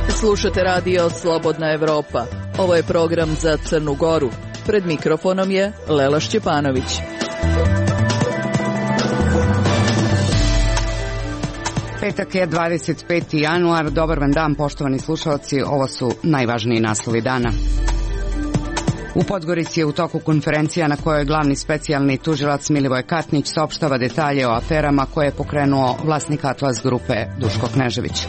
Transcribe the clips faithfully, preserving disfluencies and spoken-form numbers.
Slušate radio Slobodna Evropa. Ovo je program za Crnu Goru. Pred mikrofonom je Lela Šćepanović. Petak je dvadeset peti januar. Dobar vam dan, poštovani slušalci. Ovo su najvažniji naslovi dana. U Podgorici je u toku konferencija na kojoj glavni specijalni tužilac Milivoj Katnić saopštava detalje o aferama koje je pokrenuo vlasnik Atlas grupe Duško Knežević.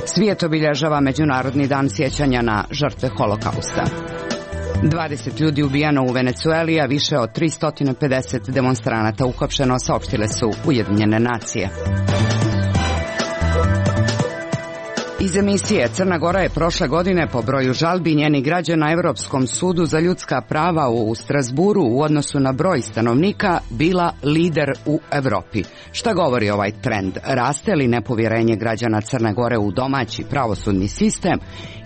Svijet obilježava Međunarodni dan sjećanja na žrtve Holokausta. dvadeset ljudi ubijeno u Venecueli, a više od tristo pedeset demonstranata uhapšeno, saopštile su Ujedinjene nacije. Iz emisije Crna Gora je prošle godine po broju žalbi njenih građana Evropskom sudu za ljudska prava u Strazburu u odnosu na broj stanovnika bila lider u Evropi. Šta govori ovaj trend? Raste li nepovjerenje građana Crne Gore u domaći pravosudni sistem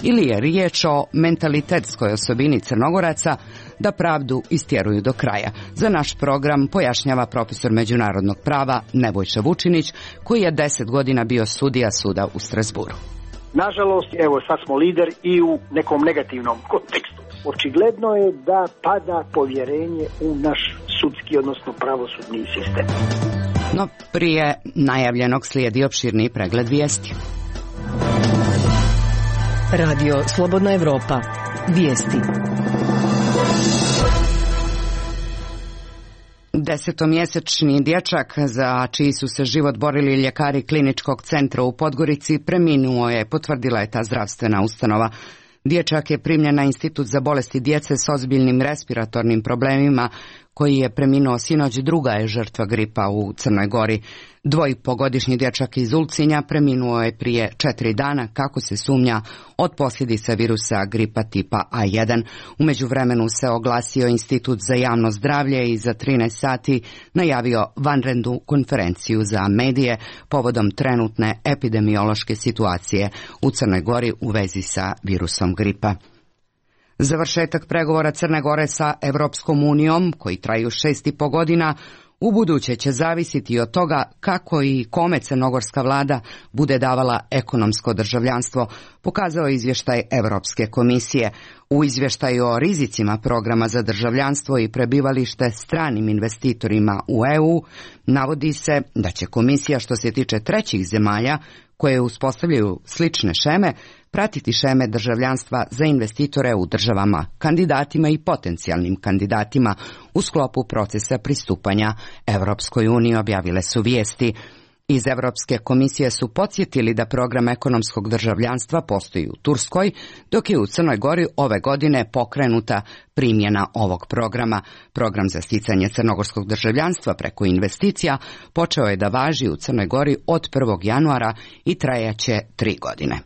ili je riječ o mentalitetskoj osobini Crnogoraca da pravdu istjeruju do kraja? Za naš program pojašnjava profesor međunarodnog prava Nebojša Vučinić, koji je deset godina bio sudija suda u Strazburu. Nažalost, evo sad smo lider i u nekom negativnom kontekstu. Očigledno je da pada povjerenje u naš sudski, odnosno pravosudni sistem. No, prije najavljenog slijedi opširni pregled vijesti. Radio Slobodna Evropa. Vijesti. Desetomjesečni dječak za čiji su se život borili ljekari kliničkog centra u Podgorici preminuo je, potvrdila je ta zdravstvena ustanova. Dječak je primljen na Institut za bolesti djece s ozbiljnim respiratornim problemima, koji je preminuo sinoć. Druga je žrtva gripa u Crnoj Gori. Dvojpogodišnji dječak iz Ulcinja preminuo je prije četiri dana, kako se sumnja, od posljedica virusa gripa tipa A jedan. U međuvremenu se oglasio Institut za javno zdravlje i za trinaest sati najavio vanrednu konferenciju za medije povodom trenutne epidemiološke situacije u Crnoj Gori u vezi sa virusom gripa. Završetak pregovora Crne Gore sa Evropskom unijom, koji traju šest i po godina, ubuduće će zavisiti od toga kako i kome crnogorska vlada bude davala ekonomsko državljanstvo, pokazao je izvještaj Evropske komisije. U izvještaju o rizicima programa za državljanstvo i prebivalište stranim investitorima u E U navodi se da će komisija, što se tiče trećih zemalja koje uspostavljaju slične šeme, pratiti šeme državljanstva za investitore u državama kandidatima i potencijalnim kandidatima u sklopu procesa pristupanja Evropskoj uniji, objavile su vijesti. Iz Evropske komisije su podsjetili da program ekonomskog državljanstva postoji u Turskoj, dok je u Crnoj Gori ove godine pokrenuta primjena ovog programa. Program za sticanje crnogorskog državljanstva preko investicija počeo je da važi u Crnoj Gori od prvog januara i trajaće tri godine.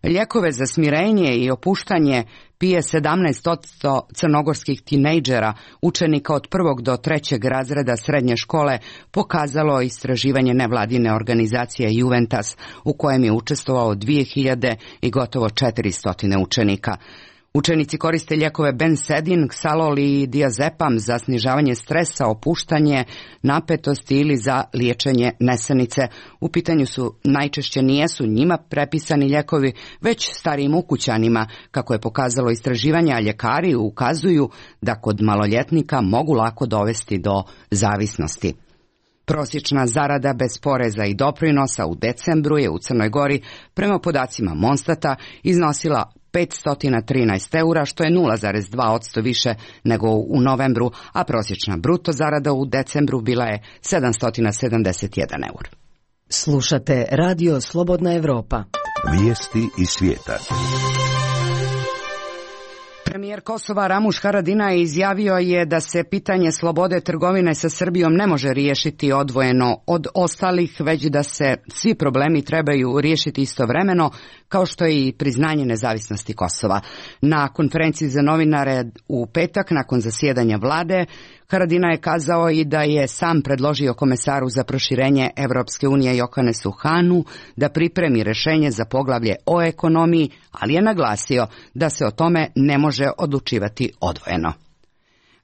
Lijekove za smirenje i opuštanje pije sedamnaest posto crnogorskih tinejdžera, učenika od prvog do trećeg razreda srednje škole, pokazalo istraživanje nevladine organizacije Juventas, u kojem je učestvovao dvije hiljade i gotovo četiristo učenika. Učenici koriste lijekove Bensedin, Xalol i Diazepam za snižavanje stresa, opuštanje, napetosti ili za liječenje nesanice. U pitanju su najčešće nijesu njima prepisani lijekovi, već starijim ukućanima, kako je pokazalo istraživanje, a ljekari ukazuju da kod maloljetnika mogu lako dovesti do zavisnosti. Prosječna zarada bez poreza i doprinosa u decembru je u Crnoj Gori, prema podacima Monstata, iznosila petsto trinaest eura, što je nula zarez dva posto više nego u novembru, a prosječna bruto zarada u decembru bila je sedamsto sedamdeset jedan eur. Slušate radio Slobodna Evropa. Vijesti iz svijeta. Premijer Kosova Ramuš Haradinaj izjavio je da se pitanje slobode trgovine sa Srbijom ne može riješiti odvojeno od ostalih, već da se svi problemi trebaju riješiti istovremeno, kao što je i priznanje nezavisnosti Kosova. Na konferenciji za novinare u petak, nakon zasjedanja vlade, Haradina je kazao i da je sam predložio komesaru za proširenje Evropske unije Johannesu Hahnu da pripremi rešenje za poglavlje o ekonomiji, ali je naglasio da se o tome ne može odlučivati odvojeno.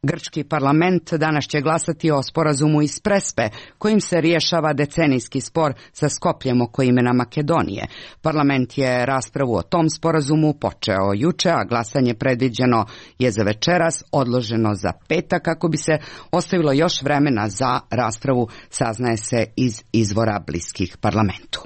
Grčki parlament danas će glasati o sporazumu iz Prespe, kojim se rješava decenijski spor sa Skopljem oko imena Makedonije. Parlament je raspravu o tom sporazumu počeo juče, a glasanje predviđeno je za večeras, odloženo za petak kako bi se ostavilo još vremena za raspravu, saznaje se iz izvora bliskih parlamentu.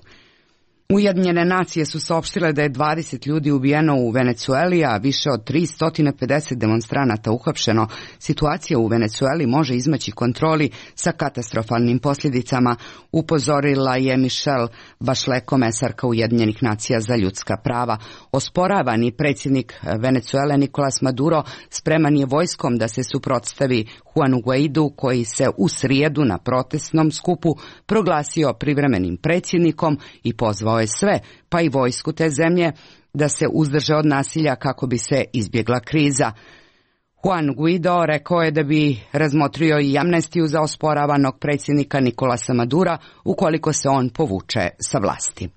Ujedinjene nacije su saopštile da je dvadeset ljudi ubijeno u Venecueli, a više od tristo pedeset demonstranata uhapšeno. Situacija u Venecueli može izmaći kontroli sa katastrofalnim posljedicama, upozorila je Michelle Bachelet, komesarka Ujedinjenih nacija za ljudska prava. Osporavani predsjednik Venecuele Nicolas Maduro spreman je vojskom da se suprotstavi Juanu Guaidu, koji se u srijedu na protestnom skupu proglasio privremenim predsjednikom i pozvao je sve, pa i vojsku te zemlje, da se uzdrže od nasilja kako bi se izbjegla kriza. Juan Guaido rekao je da bi razmotrio i amnestiju za osporavanog predsjednika Nicolasa Madura ukoliko se on povuče sa vlasti.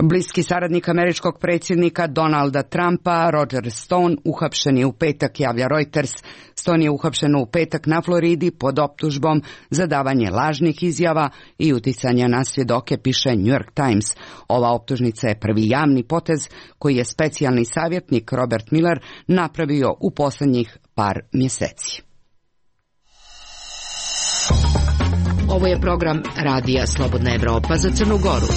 Bliski saradnik američkog predsjednika Donalda Trumpa, Roger Stone, uhapšen je u petak, javlja Reuters. Stone je uhapšen u petak na Floridi pod optužbom za davanje lažnih izjava i uticanja na svjedoke, piše New York Times. Ova optužnica je prvi javni potez koji je specijalni savjetnik Robert Miller napravio u posljednjih par mjeseci. Ovo je program Radija Slobodna Evropa za Crnu Goru.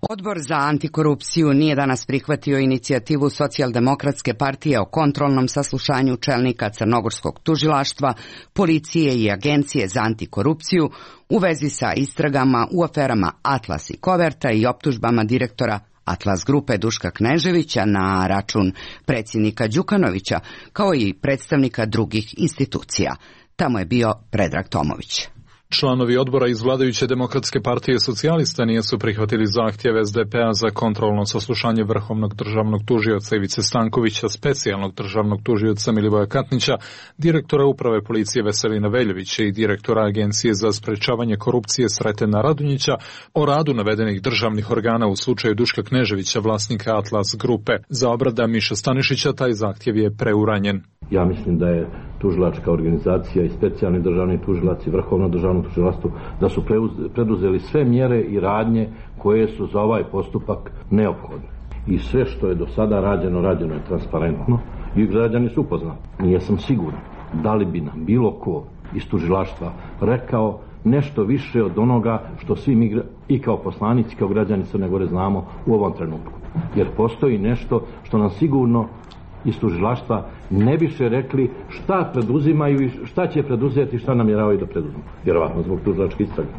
Odbor za antikorupciju nije danas prihvatio inicijativu Socijaldemokratske partije o kontrolnom saslušanju čelnika crnogorskog tužilaštva, policije i agencije za antikorupciju u vezi sa istragama u aferama Atlas i Koverta i optužbama direktora Atlas grupe Duška Kneževića na račun predsjednika Đukanovića, kao i predstavnika drugih institucija. Tamo je bio Predrag Tomović. Članovi odbora iz vladajuće Demokratske partije socijalista nisu prihvatili zahtjeve es de pe a za kontrolno saslušanje vrhovnog državnog tužioca Ivice Stankovića, specijalnog državnog tužioca Milivoja Katnića, direktora uprave policije Veselina Veljovića i direktora Agencije za sprečavanje korupcije Sretena Radunjića o radu navedenih državnih organa u slučaju Duška Kneževića, vlasnika Atlas grupe. Za obrada Miša Stanišića taj zahtjev je preuranjen. Ja mislim da je tužilačka organizacija i specijalni državni tužilac i vrhovno državno tužilaštvo da su preduzeli sve mjere i radnje koje su za ovaj postupak neophodne. I sve što je do sada rađeno, rađeno je transparentno i građani su upoznati. Nije sam siguran da li bi nam bilo ko iz tužilaštva rekao nešto više od onoga što svi mi i kao poslanici, kao građani Crne Gore znamo u ovom trenutku. Jer postoji nešto što nam sigurno iz tužilaštva ne biše rekli šta preduzimaju i šta će preduzeti i šta namjeravaju da preduzmu. Vjerovatno zbog tužilačke istrage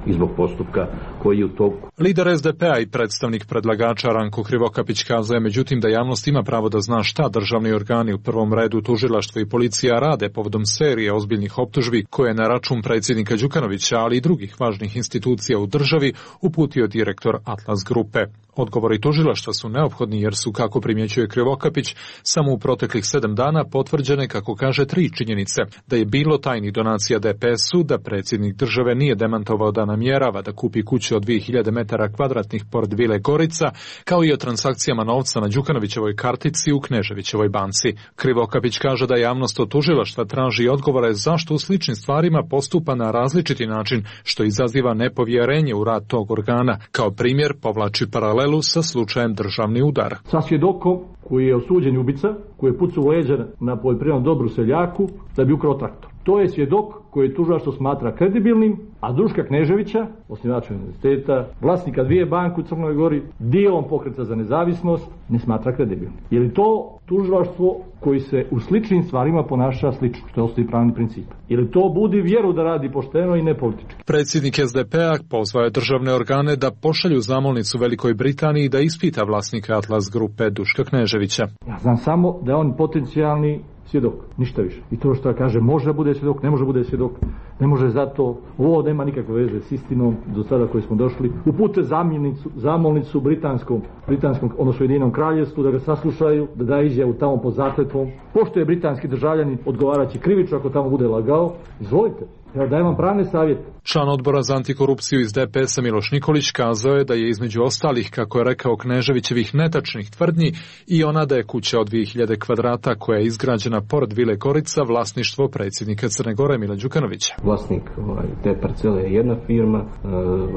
i zbog postupka koji je u toku. Lider es de pe a i predstavnik predlagača Ranko Krivokapić kazao je međutim da javnost ima pravo da zna šta državni organi, u prvom redu tužilaštvo i policija, rade povodom serije ozbiljnih optužbi koje je na račun predsjednika Đukanovića, ali i drugih važnih institucija u državi uputio direktor Atlas grupe. Odgovori tužilaštva su neophodni jer su, kako primjećuje Krivokapić, samo u proteklih sedam dana potvrđene, kako kaže, tri činjenice: da je bilo tajnih donacija de pe esu, da predsjednik države nije demantovao da namjerava da kupi kuću od dvije hiljade metara kvadratnih pored Vile Gorica, kao i o transakcijama novca na Đukanovićevoj kartici u Kneževićevoj banci. Krivokapić kaže da javnost od tužilaštva traži odgovore zašto u sličnim stvarima postupa na različiti način, što izaziva nepovjerenje u rad tog organa. Kao primjer povlači paralelu sa slučajem Državni udar. Sa svjedokom koji je osuđen ubica, koji je pucao u leđa na poljoprivrednom dobru seljaku da bi ukrao traktor. To je svjedok koji tužilaštvo smatra kredibilnim, a Duška Kneževića, osnivača univerziteta, vlasnika dvije banke u Crnoj Gori, dijelom Pokreta za nezavisnost, ne smatra kredibilnim. Je li to tužilaštvo koji se u sličnim stvarima ponaša slično, što je osnovni pravni princip? Je li to budi vjeru da radi pošteno i ne politički? Predsjednik es de pe a pozvao je državne organe da pošalju zamolnicu Velikoj Britaniji da ispita vlasnika Atlas grupe Duška Kneževića. Ja znam samo da je on potencijalni svjedok, ništa više. I to što kaže može bude svjedok, ne može bude svjedok, Ne može zato, ovo nema nikakve veze s istinom do sada koji smo došli. Upute zamolnicu, zamolnicu britanskom, britanskom, odnosno Ujedinjenom kraljevstvu da ga saslušaju, da da izjavu tamo pod zakletvom. Pošto je britanski državljanin, odgovaraće krivično ako tamo bude lagao. Izvolite. Ja dajem vam pravne savjete. Član odbora za antikorupciju iz D P S-a Miloš Nikolić kazao je da je između ostalih, kako je rekao, Kneževićevih netačnih tvrdnji i ona da je kuća od dvije hiljade kvadrata koja je izgrađena pored Vile Gorica vlasništvo predsjednika Crne Gore Mila Đukanovića. Vlasnik ovaj, te parcele je jedna firma, e,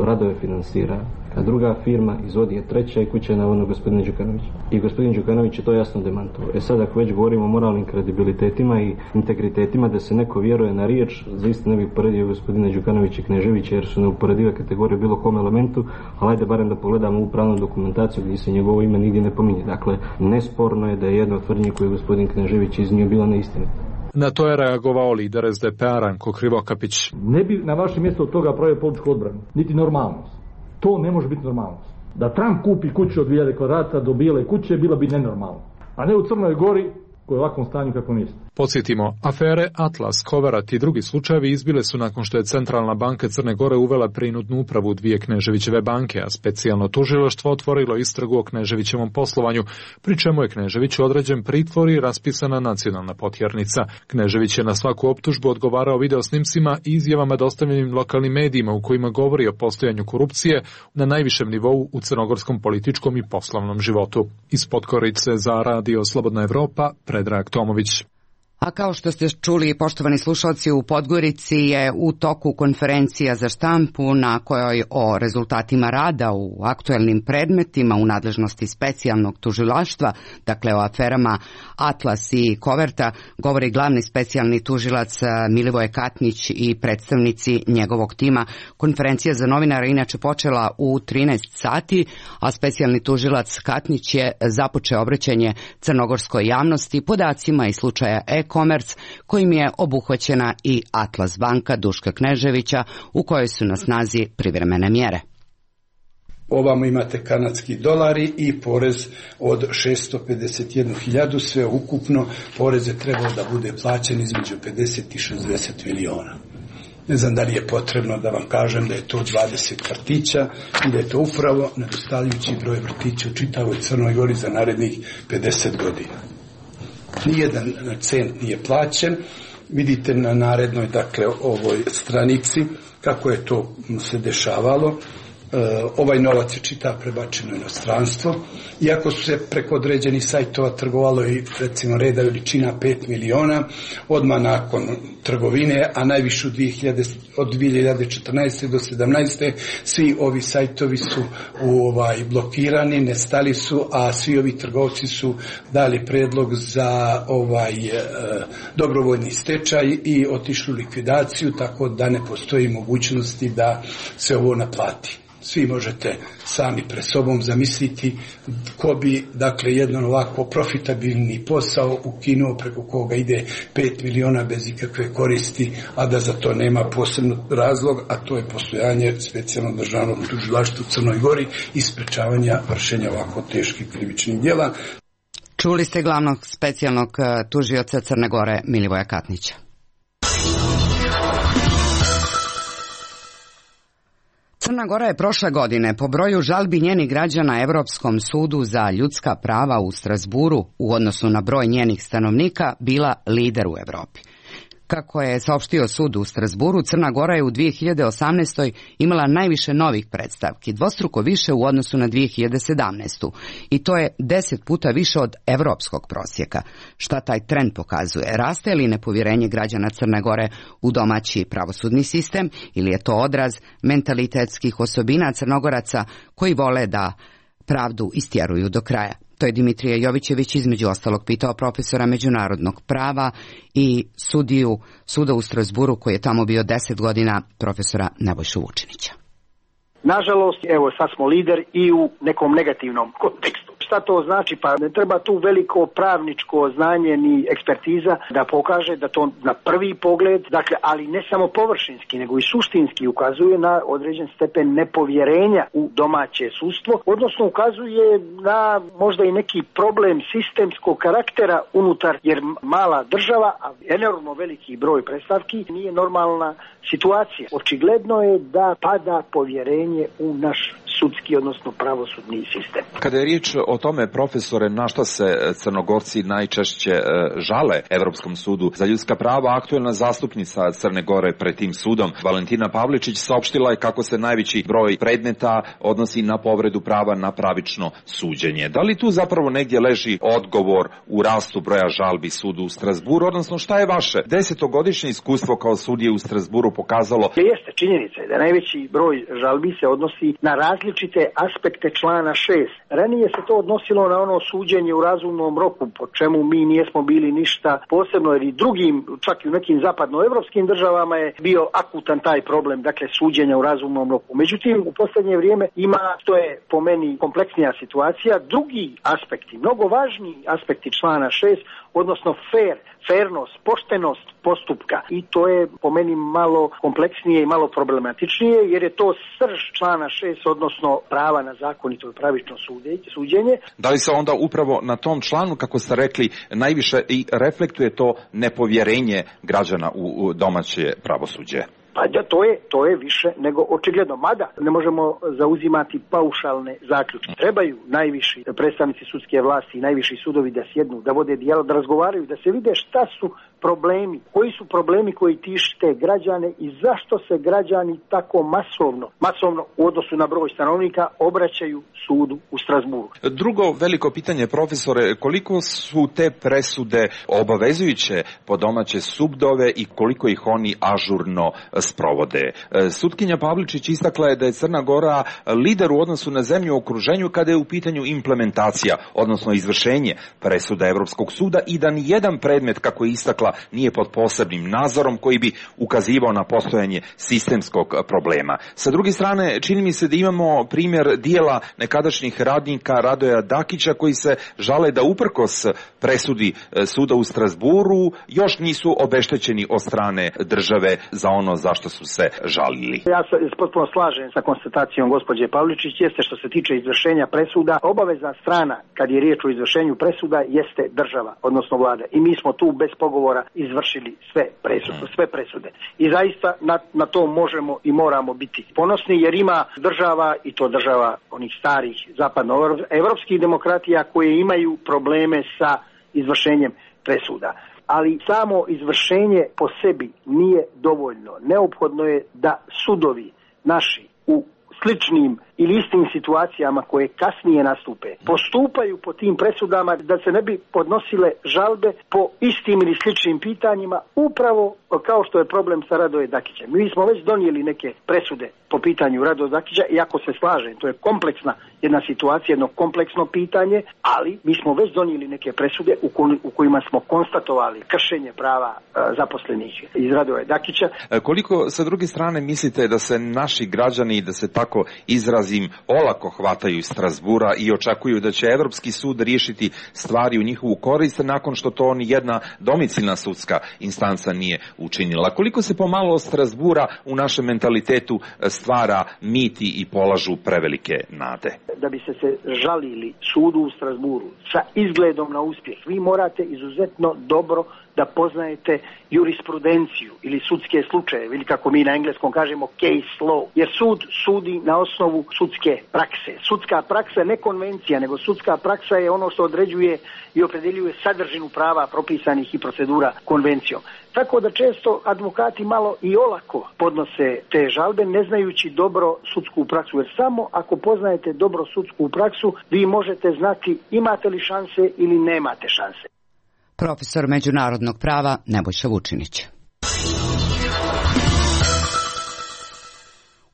radove finansira a druga firma, izvodi je treća i kuća je navodno gospodina Đukanovića. I gospodin Đukanović je to jasno demantovao. E sad ako već govorimo o moralnim kredibilitetima i integritetima da se neko vjeruje na riječ, zaista ne bih poredio gospodina Đukanovića i Kneževića jer su neuporedive kategorije bilo kom elementu, ali ajde barem da pogledamo u pravnu dokumentaciju gdje se njegovo ime nigdje ne pominje. Dakle, nesporno je da je jedna od tvrdnji koju je gospodin Knežević iznio bila neistinita. Na to je reagovao lider S D P-a Ranko Krivokapić. Ne bi na vaše mjesto od toga pravio političku odbranu, niti normalnost. To ne može biti normalnost. Da Trump kupi kuću od dvije hiljade kvadrata do bijele kuće, bila bi nenormalno. A ne u Crnoj Gori, koji je u ovakvom stanju kako niste. Podsjetimo, afere Atlas, Koverat i drugi slučajevi izbile su nakon što je Centralna banka Crne Gore uvela prinudnu upravu dvije Kneževićeve banke, a specijalno tužilaštvo otvorilo istragu o Kneževićevom poslovanju, pri čemu je Kneževiću određen pritvor i raspisana nacionalna potjernica. Knežević je na svaku optužbu odgovarao videosnimcima i izjavama dostavljenim lokalnim medijima u kojima govori o postojanju korupcije na najvišem nivou u crnogorskom političkom i poslovnom životu. Iz Podgorice za Radio Slobodna Evropa, Predrag Tomović. A kao što ste čuli, poštovani slušalci, u Podgorici je u toku konferencija za štampu na kojoj o rezultatima rada u aktuelnim predmetima u nadležnosti specijalnog tužilaštva, dakle o aferama Atlas i Koverta, govori glavni specijalni tužilac Milivoje Katnić i predstavnici njegovog tima. Konferencija za novinara inače počela u trinaest sati, a specijalni tužilac Katnić je započeo obraćanje crnogorskoj javnosti podacima iz slučaja e-commerce kojim je obuhvaćena i Atlas banka Duška Kneževića u kojoj su na snazi privremene mjere. Ovamo imate kanadski dolari i porez od šesto pedeset jednu hiljadu, sve ukupno porez je trebao da bude plaćen između pedeset i šezdeset miliona. Ne znam da li je potrebno da vam kažem da je to dvadeset vrtića i da je to upravo nedostavljujući broj vrtića u čitavoj Crnoj Gori za narednih pedeset godina. Nijedan cent nije plaćen. Vidite na narednoj, dakle, ovoj stranici kako je to se dešavalo. E, ovaj novac je čitav prebačeno u inostranstvo. Iako su se preko određenih sajtova trgovalo i recimo reda veličina pet miliona, odmah nakon trgovine, a najviše od dvije hiljade četrnaeste do sedamnaeste svi ovi sajtovi su u, ovaj, blokirani, nestali su, a svi ovi trgovci su dali predlog za ovaj e, dobrovoljni stečaj i otišli u likvidaciju, tako da ne postoji mogućnosti da se ovo naplati. Svi možete sami pre sobom zamisliti ko bi, dakle, jedan ovako profitabilni posao ukinuo preko koga ide pet miliona bez ikakve koristi, a da za to nema posebno razlog, a to je postojanje specijalnog državnog tužilaštva u Crnoj Gori i sprečavanja vršenja ovako teških krivičnih djela. Čuli ste glavnog specijalnog tužioca Crne Gore Milivoja Katnića. Crna Gora je prošle godine po broju žalbi njenih građana Europskom sudu za ljudska prava u Strasburu u odnosu na broj njenih stanovnika bila lider u Europi. Kako je saopštio sud u Strasburu, Crna Gora je u dvije hiljade osamnaestoj imala najviše novih predstavki, dvostruko više u odnosu na dvije hiljade sedamnaestu. I to je deset puta više od evropskog prosjeka. Šta taj trend pokazuje? Raste li nepovjerenje građana Crne Gore u domaći pravosudni sistem ili je to odraz mentalitetskih osobina Crnogoraca koji vole da pravdu istjeruju do kraja? To je Dimitrije Jovićević između ostalog pitao profesora međunarodnog prava i sudiju suda u Strasburu koji je tamo bio deset godina, profesora Nebojšu Vučinića. Nažalost, evo sad smo lider i u nekom negativnom kontekstu. šta to znači, pa ne treba tu veliko pravničko znanje ni ekspertiza da pokaže da to na prvi pogled, dakle, ali ne samo površinski, nego i suštinski ukazuje na određen stepen nepovjerenja u domaće sudstvo, odnosno ukazuje na možda i neki problem sistemskog karaktera unutar, jer mala država, a enormno veliki broj predstavki, nije normalna situacija. Očigledno je da pada povjerenje u naš sudski, odnosno pravosudni sistem. Kada je riječ o tome, profesore, na šta se Crnogorci najčešće žale Evropskom sudu za ljudska prava, aktuelna zastupnica Crne Gore pred tim sudom, Valentina Pavličić, saopštila je kako se najveći broj predmeta odnosi na povredu prava na pravično suđenje. Da li tu zapravo negdje leži odgovor u rastu broja žalbi sudu u Strasburu, odnosno šta je vaše desetogodišnje iskustvo kao sudije u Strasburu pokazalo? Jeste, činjenica je da najveći broj žalbi se odnosi na različite aspekte člana šest. Ranije se to odnosilo na ono suđenje u razumnom roku, po čemu mi nijesmo bili ništa posebno, jer i drugim, čak i u nekim zapadnoevropskim državama je bio akutan taj problem, dakle suđenja u razumnom roku. Međutim, u posljednje vrijeme ima, to je po meni kompleksnija situacija, drugi aspekti, mnogo važniji aspekti člana šest, odnosno fair, fairnost, poštenost postupka, i to je po meni malo kompleksnije i malo problematičnije, jer je to srž člana šest, odnosno prava na zakonito i pravično suđenje. Da li se onda upravo na tom članu, kako ste rekli, najviše i reflektuje to nepovjerenje građana u domaće pravosuđe? Pa da, to je, to je više nego očigledno. Mada ne možemo zauzimati paušalne zaključke. Trebaju najviši predstavnici sudske vlasti i najviši sudovi da sjednu, da vode dijalog, da razgovaraju, da se vide šta su problemi, koji su problemi koji tište građane i zašto se građani tako masovno, masovno u odnosu na broj stanovnika obraćaju sudu u Strasburu. Drugo veliko pitanje, profesore, koliko su te presude obavezujuće po domaće sudove i koliko ih oni ažurno sprovode? Sutkinja Pavličić istakla je da je Crna Gora lider u odnosu na zemlju u okruženju kada je u pitanju implementacija, odnosno izvršenje presuda Evropskog suda, i da ni jedan predmet, kako je istakla, nije pod posebnim nadzorom koji bi ukazivao na postojanje sistemskog problema. Sa druge strane, čini mi se da imamo primjer dijela nekadašnjih radnika Radoja Dakića koji se žale da uprkos presudi suda u Strasburu još nisu obeštećeni od strane države za ono zašto su se žalili. Ja se potpuno slažem sa konstatacijom gospođe Pavličić, jeste što se tiče izvršenja presuda, obavezna strana kad je riječ o izvršenju presuda jeste država, odnosno vlada. I mi smo tu bez pogovora izvršili sve presude, sve presude. I zaista na, na to možemo i moramo biti ponosni, jer ima država, i to država onih starih zapadnoevropskih demokratija, koje imaju probleme sa izvršenjem presuda. Ali samo izvršenje po sebi nije dovoljno. Neophodno je da sudovi naši u sličnim ili istim situacijama koje kasnije nastupe postupaju po tim presudama, da se ne bi podnosile žalbe po istim ili sličnim pitanjima, upravo kao što je problem sa Radoje Dakićem. Mi smo već donijeli neke presude po pitanju Radoja Dakića, i ako se slažem, to je kompleksna jedna situacija, jedno kompleksno pitanje, ali mi smo već donijeli neke presude u, ko, u kojima smo konstatovali kršenje prava a, zaposlenih iz Radoja Dakića. Koliko sa druge strane mislite da se naši građani, da se tako izrazim, olako hvataju iz Strasbura i očekuju da će Evropski sud riješiti stvari u njihovu korist nakon što to ni jedna domicilna sudska instanca nije učinila? Koliko se pomalo od Strasbura u našem mentalitetu stvara miti i polažu prevelike nade? Da bi se se žalili sudu u Strasburu sa izgledom na uspjeh, vi morate izuzetno dobro da poznajete jurisprudenciju ili sudske slučajeve, ili kako mi na engleskom kažemo case law, jer sud sudi na osnovu sudske prakse. Sudska praksa ne konvencija, nego sudska praksa je ono što određuje i opredeljuje sadržinu prava propisanih i procedura konvencijom. Tako da često advokati malo i olako podnose te žalbe, ne znajući dobro sudsku praksu, jer samo ako poznajete dobro sudsku praksu, vi možete znati imate li šanse ili nemate šanse. Profesor međunarodnog prava Nebojša Vučinić.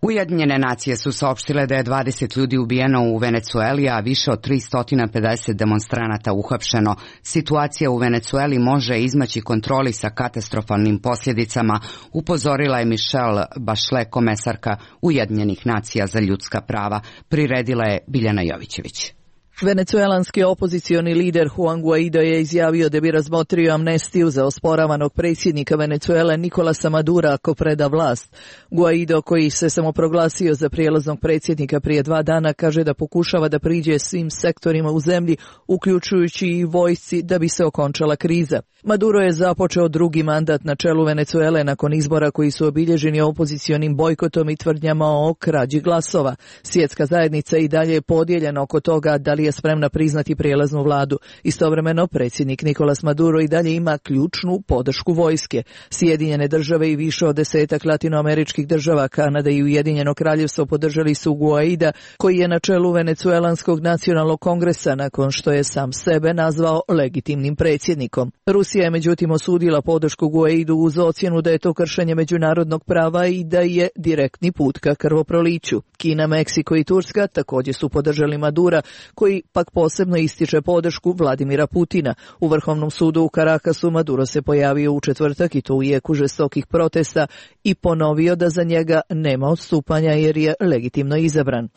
Ujedinjene nacije su saopštile da je dvadeset ljudi ubijeno u Venecueli, a više od tristo pedeset demonstranata uhapšeno. Situacija u Venecueli može izmaći kontroli sa katastrofalnim posljedicama, upozorila je Michelle Bachelet, komesarka Ujedinjenih nacija za ljudska prava. Priredila je Biljana Jovićević. Venecuelanski opozicioni lider Juan Guaido je izjavio da bi razmotrio amnestiju za osporavanog predsjednika Venecuele Nicolasa Madura ako preda vlast. Guaido, koji se samoproglasio za prijelaznog predsjednika prije dva dana, kaže da pokušava da priđe svim sektorima u zemlji, uključujući i vojsci, da bi se okončala kriza. Maduro je započeo drugi mandat na čelu Venecuele nakon izbora koji su obilježeni opozicionim bojkotom i tvrdnjama o krađi glasova. Svjetska zajednica i dalje je podijeljena oko toga da li je spremna priznati prijelaznu vladu. Istovremeno, predsjednik Nicolas Maduro i dalje ima ključnu podršku vojske. Sjedinjene države i više od desetak latinoameričkih država, Kanada i Ujedinjeno kraljevstvo podržali su Guaida, koji je na čelu Venecuelanskog nacionalnog kongresa nakon što je sam sebe nazvao legitimnim predsjednikom. Rusija je međutim osudila podršku Guaidu uz ocjenu da je to kršenje međunarodnog prava i da je direktni put ka krvoproliću. Kina, Meksiko i Turska također su podržali Madura, koji pak posebno ističe podršku Vladimira Putina. U Vrhovnom sudu u Karakasu Maduro se pojavio u četvrtak i to u jeku žestokih protesta i ponovio da za njega nema odstupanja jer je legitimno izabran.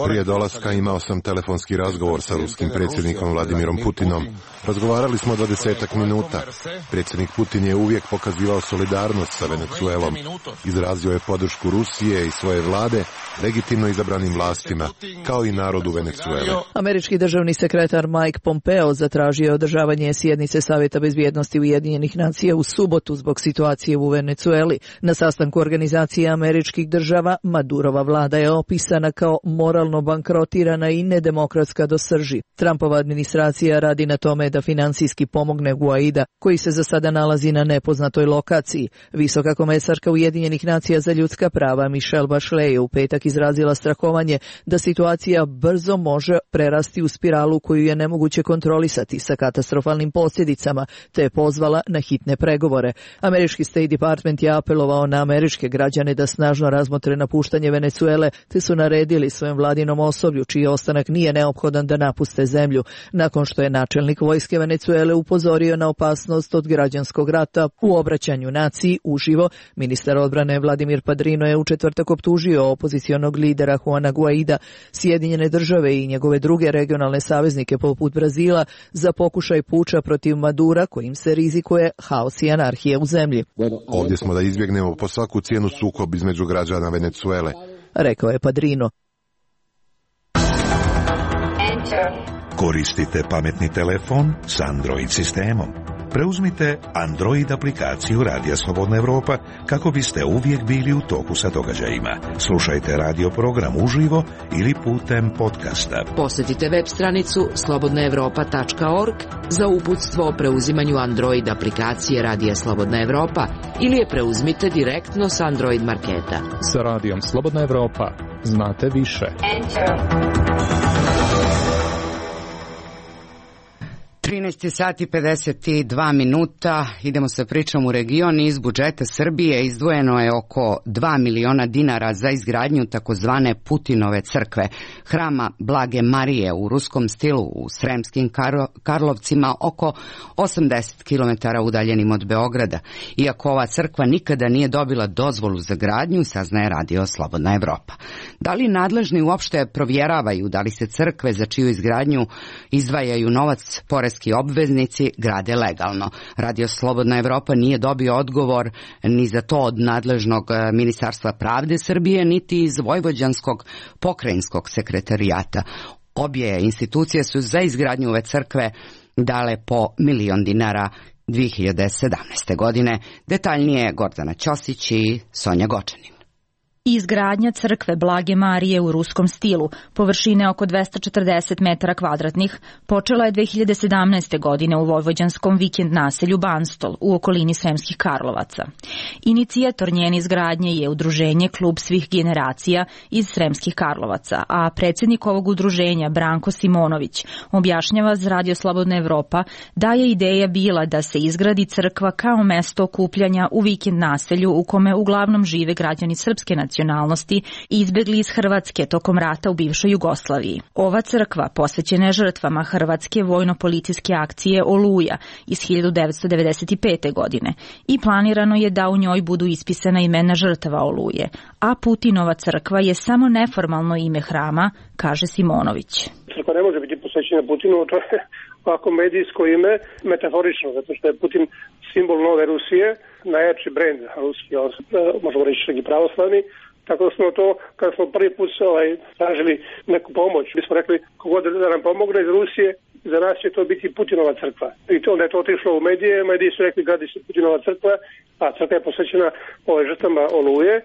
Prije dolaska imao sam telefonski razgovor sa ruskim predsjednikom Vladimirom Putinom. Razgovarali smo do desetak minuta. Predsjednik Putin je uvijek pokazivao solidarnost sa Venecuelom. Izrazio je podršku Rusije i svoje vlade legitimno izabranim vlastima, kao i narodu Venecuele. Američki državni sekretar Mike Pompeo zatražio je održavanje sjednice Savjeta bezbjednosti Ujedinjenih nacija u subotu zbog situacije u Venecueli. Na sastanku Organizacije američkih država Madurova vlada je opisana kao moralno bankrotirana i nedemokratska do srži. Trumpova administracija radi na tome da financijski pomogne Guaida, koji se za sada nalazi na nepoznatoj lokaciji. Visoka komesarka Ujedinjenih nacija za ljudska prava Michelle Bachelet je u petak izrazila strahovanje da situacija brzo može prerasti u spiralu koju je nemoguće kontrolisati sa katastrofalnim posljedicama, te je pozvala na hitne pregovore. Američki State Department je apelovao na američke građane da snažno razmotre napuštanje Venecuele, te su naredili svojem vladinom osoblju, čiji ostanak nije neophodan, da napuste zemlju, nakon što je načelnik vojske Venecuele upozorio na opasnost od građanskog rata. U obraćanju naciji uživo, ministar odbrane Vladimir Padrino je u četvrtak optužio opozicionog lidera Juana Guaida, Sjedinjene države i njegove druge regionalne saveznike poput Brazila za pokušaj puča protiv Madura, kojim se rizikuje haos i anarhija u zemlji. Ovdje smo da izbjegnemo po svaku cijenu sukob između građana Venecuele, rekao je Padrino. Koristite pametni telefon s Android sistemom. Preuzmite Android aplikaciju Radija Slobodna Evropa kako biste uvijek bili u toku sa događajima. Slušajte radio program uživo ili putem podcasta. Posjetite web stranicu slobodna evropa tačka org za uputstvo o preuzimanju Android aplikacije Radija Slobodna Evropa ili je preuzmite direktno s Android marketa. Sa Radijom Slobodna Evropa znate više. trinaest sati pedeset dva minuta, idemo sa pričom u region. Iz budžeta Srbije izdvojeno je oko dva miliona dinara za izgradnju takozvane Putinove crkve, hrama Blage Marije u ruskom stilu u Sremskim Karlovcima, oko osamdeset kilometara udaljenim od Beograda. Iako ova crkva nikada nije dobila dozvolu za gradnju, saznaje Radio Slobodna Evropa. Da li nadležni uopšte provjeravaju da li se crkve za čiju izgradnju izdvajaju novac porez obveznici grade legalno? Radio Slobodna Evropa nije dobio odgovor ni za to od nadležnog Ministarstva pravde Srbije, niti iz Vojvođanskog pokrajinskog sekretarijata. Obje institucije su za izgradnju ove crkve dale po milion dinara dvije hiljade sedamnaeste. godine. Detaljnije Gordana Ćosić i Sonja Gočanin. Izgradnja crkve Blage Marije u ruskom stilu, površine oko dvesta četrdeset metara kvadratnih, počela je dve hiljade sedamnaeste. godine u vojvođanskom vikend naselju Banstol u okolini Sremskih Karlovaca. Inicijator njene izgradnje je udruženje Klub svih generacija iz Sremskih Karlovaca, a predsjednik ovog udruženja Branko Simonović objašnjava za Radio Slobodna Evropa da je ideja bila da se izgradi crkva kao mesto okupljanja u vikend naselju u kome uglavnom žive građani srpske nacionalnosti nacionalnosti i izbegli iz Hrvatske tokom rata u bivšoj Jugoslaviji. Ova crkva posvećena je žrtvama Hrvatske vojno-policijske akcije Oluja iz hiljadu devetsto devedeset pete. godine i planirano je da u njoj budu ispisana imena žrtava Oluje, a Putinova crkva je samo neformalno ime hrama, kaže Simonović. Crkva ne može biti posvećena Putinu, to je ovako medijsko ime, metaforično, zato što je Putin simbol nove Rusije, najjači brend ruski, možemo reći neki pravoslavni, tako da smo to, kada smo prvi put ovaj, tražili neku pomoć, mi smo rekli kogod da nam pomogne iz Rusije, za nas će to biti Putinova crkva. I to onda je to otišlo u medije, mediji su rekli gradi se Putinova crkva, a crkva je posvećena ove žrtvama Oluje,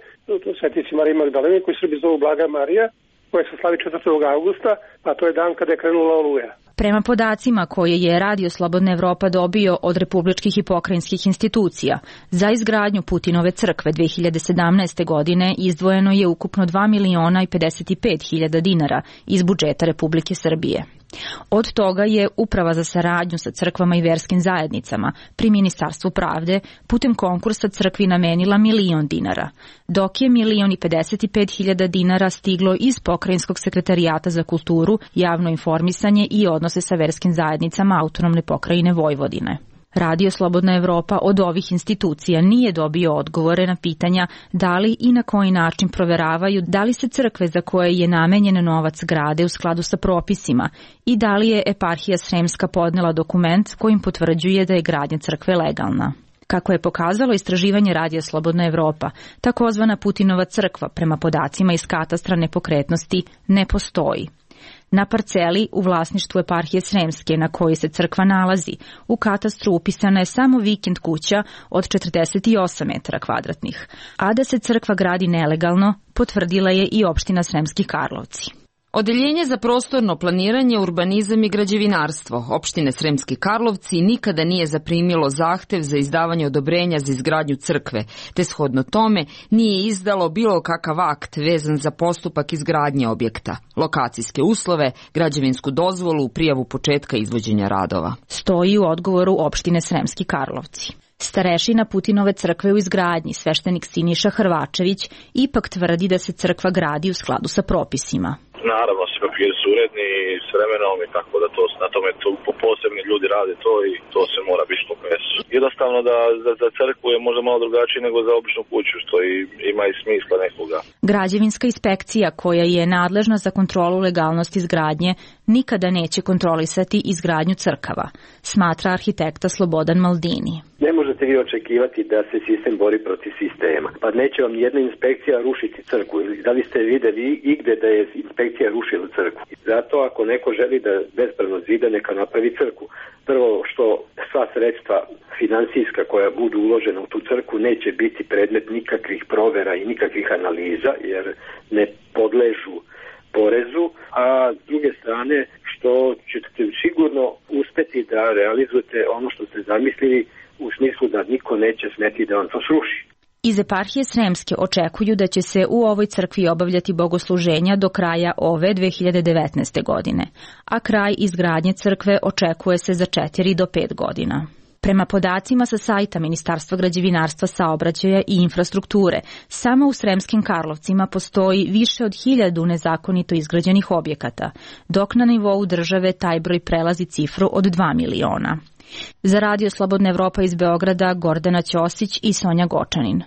svetnici Mariji Magdaleni, koji Srbi zovu Blaga Marija, koja se slavi četvrtog augusta, a to je dan kada je krenula Oluja. Prema podacima koje je Radio Slobodna Evropa dobio od republičkih i pokrajinskih institucija, za izgradnju Putinove crkve dve hiljade sedamnaeste. godine izdvojeno je ukupno dva miliona i pedeset pet hiljada dinara iz budžeta Republike Srbije. Od toga je Uprava za saradnju sa crkvama i verskim zajednicama pri Ministarstvu pravde putem konkursa crkvi namenila milion dinara, dok je milion i pedeset pet hiljada dinara stiglo iz Pokrajinskog sekretarijata za kulturu, javno informisanje i odnose sa verskim zajednicama Autonomne pokrajine Vojvodine. Radio Slobodna Evropa od ovih institucija nije dobio odgovore na pitanja da li i na koji način proveravaju da li se crkve za koje je namenjen novac grade u skladu sa propisima i da li je eparhija Sremska podnela dokument kojim potvrđuje da je gradnja crkve legalna. Kako je pokazalo istraživanje Radija Slobodna Evropa, takozvana Putinova crkva prema podacima iz katastra nepokretnosti ne postoji. Na parceli u vlasništvu eparhije Sremske na kojoj se crkva nalazi, u katastru upisana je samo vikend kuća od četrdeset osam metara kvadratnih, a da se crkva gradi nelegalno potvrdila je i opština Sremski Karlovci. Odeljenje za prostorno planiranje, urbanizam i građevinarstvo opštine Sremski Karlovci nikada nije zaprimilo zahtev za izdavanje odobrenja za izgradnju crkve, te shodno tome nije izdalo bilo kakav akt vezan za postupak izgradnje objekta, lokacijske uslove, građevinsku dozvolu, prijavu početka izvođenja radova. Stoji u odgovoru opštine Sremski Karlovci. Starešina Putinove crkve u izgradnji, sveštenik Siniša Hrvačević, ipak tvrdi da se crkva gradi u skladu sa propisima. Naravno, svi papiri su uredni s vremenom i tako da to, na tome to, posebni ljudi rade to i to se mora biti što jesu. Jednostavno da za, za crkvu je možda malo drugačije nego za običnu kuću, što i, ima i smisla nekoga. Građevinska inspekcija koja je nadležna za kontrolu legalnosti izgradnje nikada neće kontrolisati izgradnju crkava, smatra arhitekta Slobodan Maldini. Ne možete vi očekivati da se sistem bori protiv sistema. Pa neće vam jedna inspekcija rušiti crkvu. Da li ste videli igde da je inspekcija rušila crkvu? Zato ako neko želi da bespravno zida, neka napravi crkvu. Prvo što sva sredstva finansijska koja budu uložena u tu crkvu neće biti predmet nikakvih provera i nikakvih analiza, jer ne podležu porezu, a s druge strane što ćete sigurno uspeti da realizujete ono što ste zamislili, u smislu da niko neće smeti da vam to sruši. Iz eparhije Sremske očekuju da će se u ovoj crkvi obavljati bogosluženja do kraja ove dve hiljade devetnaeste. godine, a kraj izgradnje crkve očekuje se za četiri do pet godina. Prema podacima sa sajta Ministarstva građevinarstva, saobraćaja i infrastrukture, samo u Sremskim Karlovcima postoji više od hiljadu nezakonito izgrađenih objekata, dok na nivou države taj broj prelazi cifru od dva miliona. Za Radio Slobodna Evropa iz Beograda, Gordana Ćosić i Sonja Gočanin.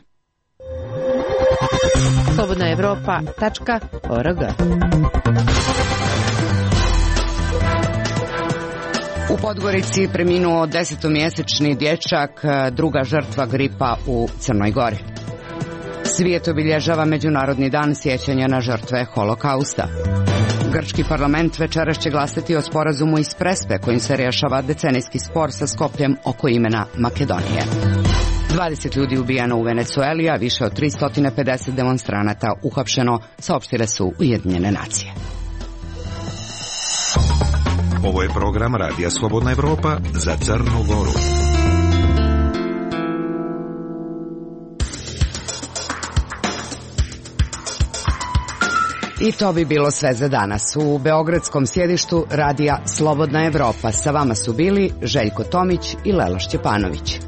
slobodna evropa tačka org. U Podgorici preminuo desetomjesečni dječak, druga žrtva gripa u Crnoj Gori. Svijet obilježava Međunarodni dan sjećanja na žrtve holokausta. Grčki parlament večeras će glasati o sporazumu iz Prespe kojim se rješava decenijski spor sa Skopljem oko imena Makedonije. dvadeset ljudi ubijeno u Venecueli, a više od tristo pedeset demonstranata uhapšeno, saopštile su Ujedinjene nacije. Ovo je program Radija Slobodna Evropa za Crnu Goru. I to bi bilo sve za danas. U beogradskom sjedištu Radija Slobodna Evropa sa vama su bili Željko Tomić i Lela Šćepanović.